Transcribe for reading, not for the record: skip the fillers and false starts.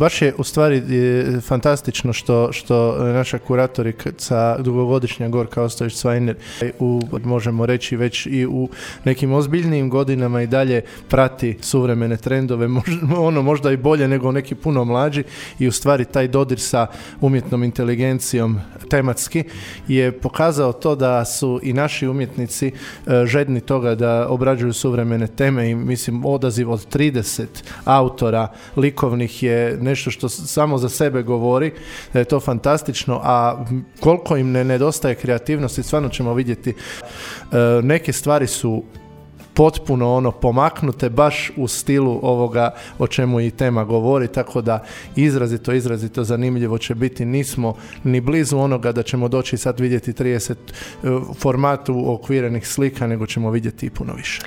baš je u stvari fantastično što naša kuratorica dugogodišnja Gorka Ostojić-Cvajner možemo reći već i u nekim ozbiljnijim godinama i dalje prati suvremene trendove, možda i bolje nego neki puno mlađi, i u stvari taj dodir sa umjetnom inteligencijom tematski je pokazao to da su i naši umjetnici žedni toga da obrađuju suvremene teme, i mislim odaziv od 30 autora likovnih je nešto što samo za sebe govori, da je to fantastično, a koliko im ne nedostaje kreativnosti stvarno ćemo vidjeti. Neke stvari su potpuno pomaknute baš u stilu ovoga o čemu i tema govori, tako da izrazito zanimljivo će biti. Nismo ni blizu onoga da ćemo doći sad vidjeti 30 formatu okvirenih slika, nego ćemo vidjeti i puno više.